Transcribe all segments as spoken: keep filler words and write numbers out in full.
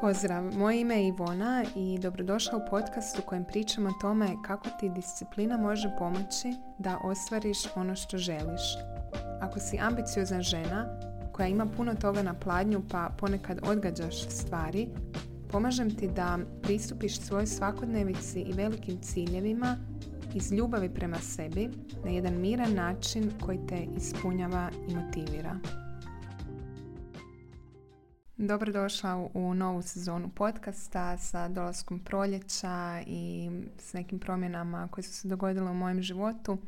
Pozdrav, moje ime je Ivona i dobrodošla u podcast u kojem pričam o tome kako ti disciplina može pomoći da ostvariš ono što želiš. Ako si ambiciozna žena koja ima puno toga na pladnju pa ponekad odgađaš stvari, pomažem ti da pristupiš svojoj svakodnevici i velikim ciljevima iz ljubavi prema sebi na jedan miran način koji te ispunjava i motivira. Dobrodošla u novu sezonu podcasta sa dolaskom proljeća i s nekim promjenama koje su se dogodile u mojem životu.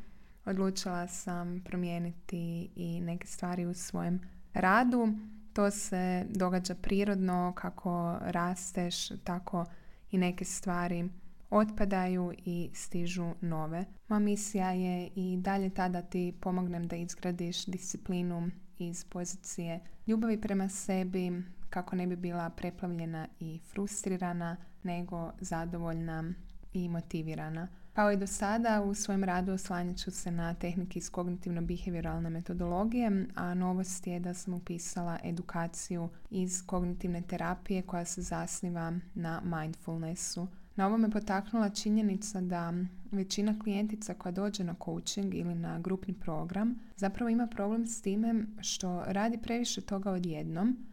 Odlučila sam promijeniti i neke stvari u svojem radu. To se događa prirodno, kako rasteš, tako i neke stvari otpadaju i stižu nove. Moja misija je i dalje ta da ti pomognem da izgradiš disciplinu iz pozicije ljubavi prema sebi, kako ne bi bila preplavljena i frustrirana, nego zadovoljna i motivirana. Kao i do sada, u svojem radu oslanjat ću se na tehnike iz kognitivno-behavioralne metodologije, a novost je da sam upisala edukaciju iz kognitivne terapije koja se zasniva na mindfulnessu. Na ovo me potaknula činjenica da većina klijentica koja dođe na coaching ili na grupni program zapravo ima problem s time što radi previše toga odjednom,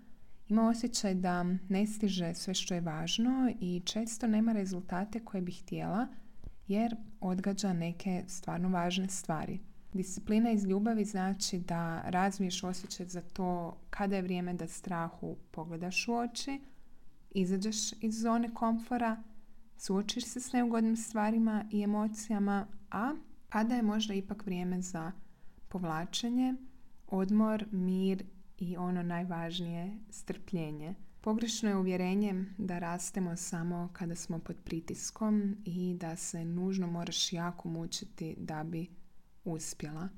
ima osjećaj da ne stiže sve što je važno i često nema rezultate koje bi htjela jer odgađa neke stvarno važne stvari. Disciplina iz ljubavi znači da razviješ osjećaj za to kada je vrijeme da strahu pogledaš u oči, izađeš iz zone komfora, suočiš se s neugodnim stvarima i emocijama, a kada je možda ipak vrijeme za povlačenje, odmor, mir i ono najvažnije, strpljenje. Pogrešno je uvjerenje da rastemo samo kada smo pod pritiskom i da se nužno moraš jako mučiti da bi uspjela.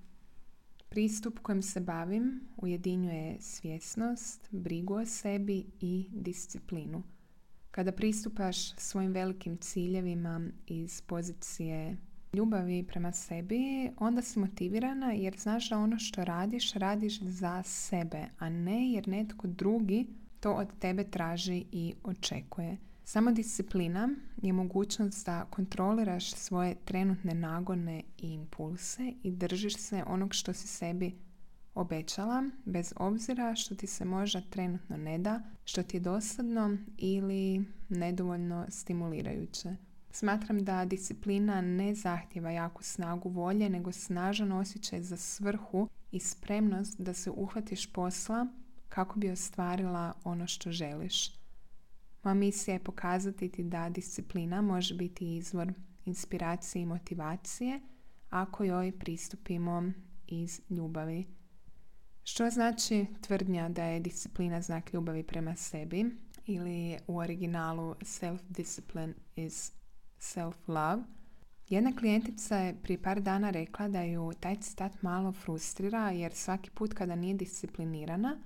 Pristup kojim se bavim ujedinjuje svjesnost, brigu o sebi i disciplinu. Kada pristupaš svojim velikim ciljevima iz pozicije ljubavi prema sebi, onda si motivirana jer znaš da ono što radiš, radiš za sebe, a ne jer netko drugi to od tebe traži i očekuje. Samo disciplina je mogućnost da kontroliraš svoje trenutne nagone i impulse i držiš se onog što si sebi obećala, bez obzira što ti se možda trenutno ne da, što ti je dosadno ili nedovoljno stimulirajuće. Smatram da disciplina ne zahtijeva jaku snagu volje, nego snažan osjećaj za svrhu i spremnost da se uhvatiš posla kako bi ostvarila ono što želiš. Moja misija je pokazati ti da disciplina može biti izvor inspiracije i motivacije ako joj pristupimo iz ljubavi. Što znači tvrdnja da je disciplina znak ljubavi prema sebi ili u originalu self-discipline is self-love? Jedna klijentica je prije par dana rekla da ju taj citat malo frustrira jer svaki put kada nije disciplinirana,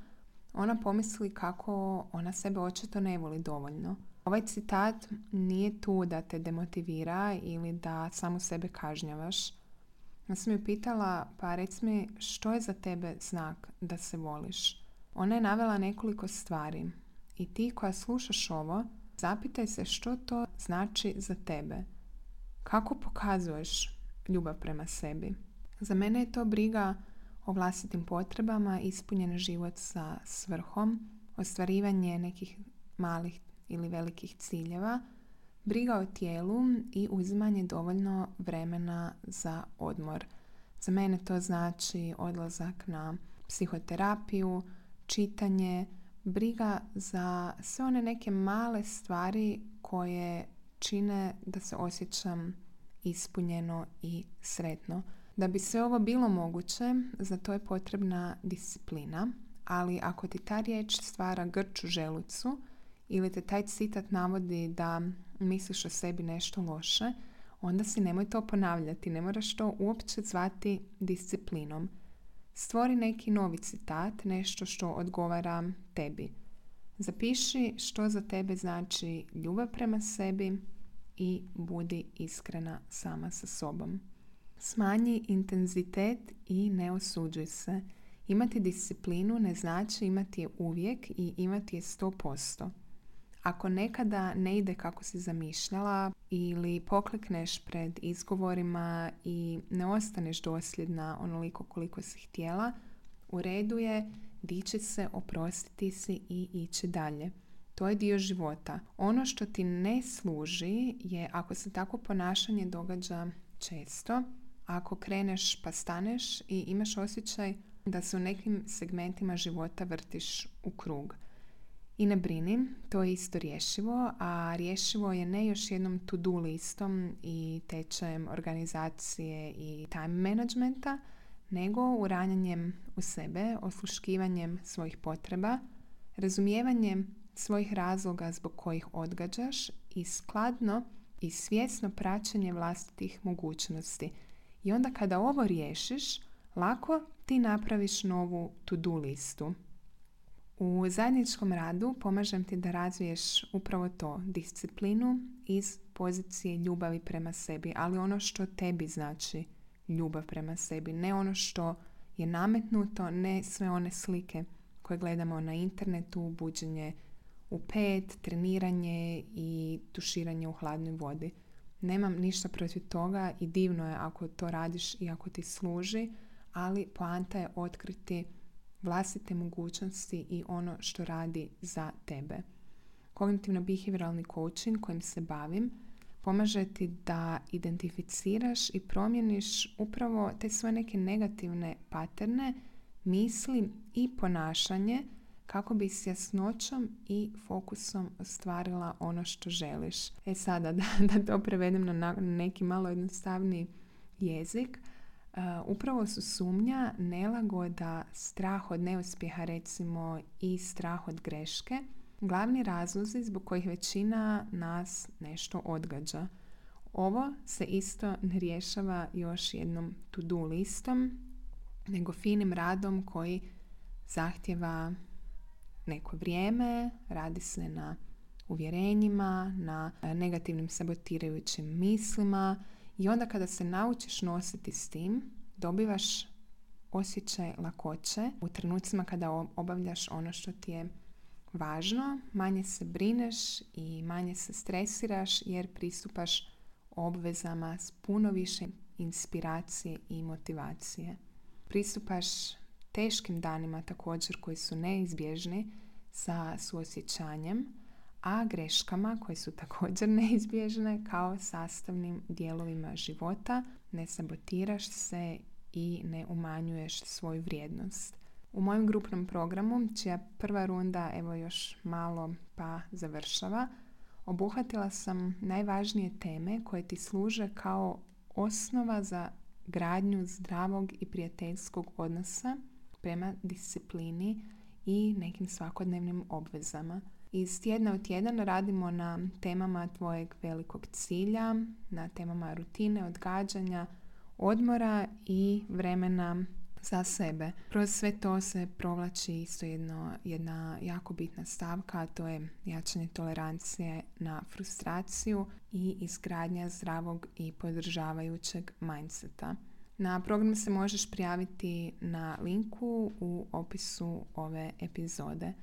ona pomisli kako ona sebe očito ne voli dovoljno. Ovaj citat nije tu da te demotivira ili da samo sebe kažnjavaš. Ja sam ju pitala, pa reci mi što je za tebe znak da se voliš? Ona je navela nekoliko stvari i ti koja slušaš ovo, zapitaj se što to znači za tebe. Kako pokazuješ ljubav prema sebi? Za mene je to briga o vlastitim potrebama, ispunjen život sa svrhom, ostvarivanje nekih malih ili velikih ciljeva, briga o tijelu i uzimanje dovoljno vremena za odmor. Za mene to znači odlazak na psihoterapiju, čitanje, briga za sve one neke male stvari koje čine da se osjećam ispunjeno i sretno. Da bi sve ovo bilo moguće, za to je potrebna disciplina, ali ako ti ta riječ stvara grč u želucu ili te taj citat navodi da misliš o sebi nešto loše, onda si nemoj to ponavljati, ne moraš to uopće zvati disciplinom. Stvori neki novi citat, nešto što odgovara tebi. Zapiši što za tebe znači ljubav prema sebi i budi iskrena sama sa sobom. Smanji intenzitet i ne osuđuj se. Imati disciplinu ne znači imati je uvijek i imati je sto posto. Ako nekada ne ide kako si zamišljala ili poklekneš pred izgovorima i ne ostaneš dosljedna onoliko koliko si htjela, u redu je dići se, oprostiti si i ići dalje. To je dio života. Ono što ti ne služi je ako se tako ponašanje događa često, ako kreneš pa staneš i imaš osjećaj da se u nekim segmentima života vrtiš u krug. I ne brini, to je isto rješivo, a rješivo je ne još jednom to-do listom i tečajem organizacije i time managementa, nego uranjanjem u sebe, osluškivanjem svojih potreba, razumijevanjem svojih razloga zbog kojih odgađaš i skladno i svjesno praćenje vlastitih mogućnosti. I onda kada ovo riješiš, lako ti napraviš novu to-do listu. U zajedničkom radu pomažem ti da razviješ upravo to, disciplinu iz pozicije ljubavi prema sebi, ali ono što tebi znači ljubav prema sebi, ne ono što je nametnuto, ne sve one slike koje gledamo na internetu, buđenje u pet, treniranje i tuširanje u hladnoj vodi. Nemam ništa protiv toga i divno je ako to radiš i ako ti služi, ali poanta je otkriti vlastite mogućnosti i ono što radi za tebe. Kognitivno-behavioralni coaching kojim se bavim pomaže ti da identificiraš i promijeniš upravo te svoje neke negativne paterne, misli i ponašanje kako bi s jasnoćom i fokusom ostvarila ono što želiš. E sada, da, da to prevedem na neki malo jednostavniji jezik, Uh, upravo su sumnja, nelagoda, strah od neuspjeha recimo i strah od greške glavni razlozi zbog kojih većina nas nešto odgađa. Ovo se isto ne rješava još jednom to-do listom, nego finim radom koji zahtjeva neko vrijeme, radi se na uvjerenjima, na negativnim sabotirajućim mislima. I onda kada se naučiš nositi s tim, dobivaš osjećaj lakoće u trenucima kada obavljaš ono što ti je važno, manje se brineš i manje se stresiraš jer pristupaš obvezama s puno više inspiracije i motivacije. Pristupaš teškim danima također koji su neizbježni sa suosjećanjem, a greškama koje su također neizbježne kao sastavnim dijelovima života, ne sabotiraš se i ne umanjuješ svoju vrijednost. U mojem grupnom programu, čija prva runda evo još malo pa završava, obuhvatila sam najvažnije teme koje ti služe kao osnova za gradnju zdravog i prijateljskog odnosa prema disciplini i nekim svakodnevnim obvezama. Iz tjedna u tjedan radimo na temama tvojeg velikog cilja, na temama rutine, odgađanja, odmora i vremena za sebe. Kroz sve to se provlači isto jedno, jedna jako bitna stavka, a to je jačanje tolerancije na frustraciju i izgradnja zdravog i podržavajućeg mindseta. Na program se možeš prijaviti na linku u opisu ove epizode.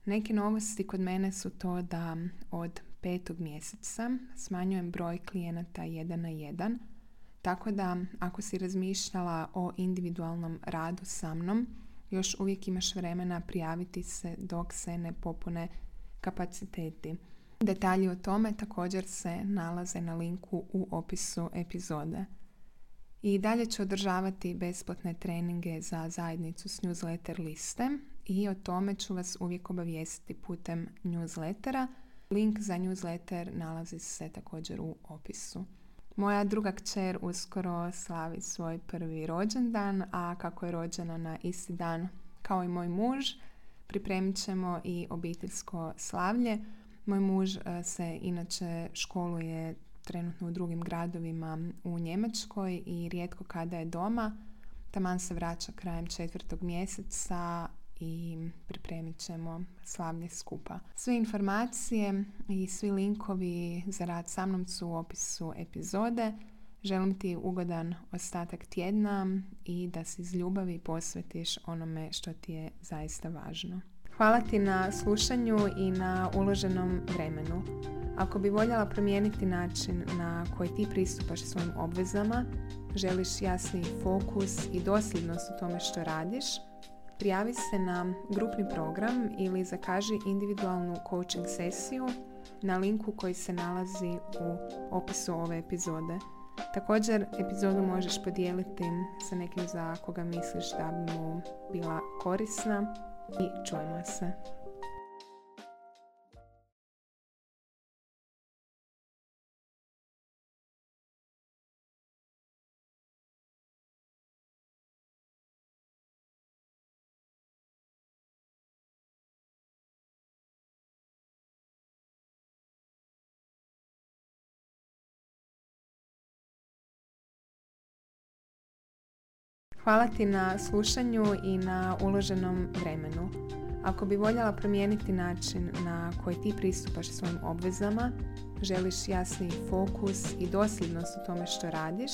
Neke novosti kod mene su to da od petog mjeseca smanjujem broj klijenata jedan na jedan, tako da ako si razmišljala o individualnom radu sa mnom, još uvijek imaš vremena prijaviti se dok se ne popune kapaciteti. Detalji o tome također se nalaze na linku u opisu epizode. I dalje ću održavati besplatne treninge za zajednicu s newsletter liste i o tome ću vas uvijek obavijestiti putem newslettera. Link za newsletter nalazi se također u opisu. Moja druga kćer uskoro slavi svoj prvi rođendan, a kako je rođena na isti dan kao i moj muž, pripremit ćemo i obiteljsko slavlje. Moj muž se inače školuje trenutno u drugim gradovima u Njemačkoj i rijetko kada je doma. Taman se vraća krajem četvrtog mjeseca i pripremit ćemo slavlje skupa. Sve informacije i svi linkovi za rad sa mnom su u opisu epizode. Želim ti ugodan ostatak tjedna i da se iz ljubavi posvetiš onome što ti je zaista važno. Hvala ti na slušanju i na uloženom vremenu. Ako bi voljela promijeniti način na koji ti pristupaš svojim obvezama, želiš jasniji fokus i dosljednost u tome što radiš, prijavi se na grupni program ili zakaži individualnu coaching sesiju na linku koji se nalazi u opisu ove epizode. Također, epizodu možeš podijeliti sa nekim za koga misliš da bi mu bila korisna i čujemo se. Hvala ti na slušanju i na uloženom vremenu. Ako bi voljela promijeniti način na koji ti pristupaš svojim obvezama, želiš jasniji fokus i dosljednost u tome što radiš,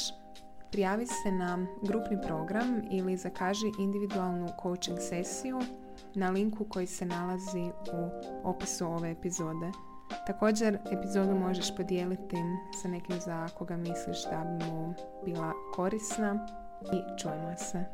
prijavi se na grupni program ili zakaži individualnu coaching sesiju na linku koji se nalazi u opisu ove epizode. Također, epizodu možeš podijeliti sa nekim za koga misliš da bi mu bila korisna i čujemo se.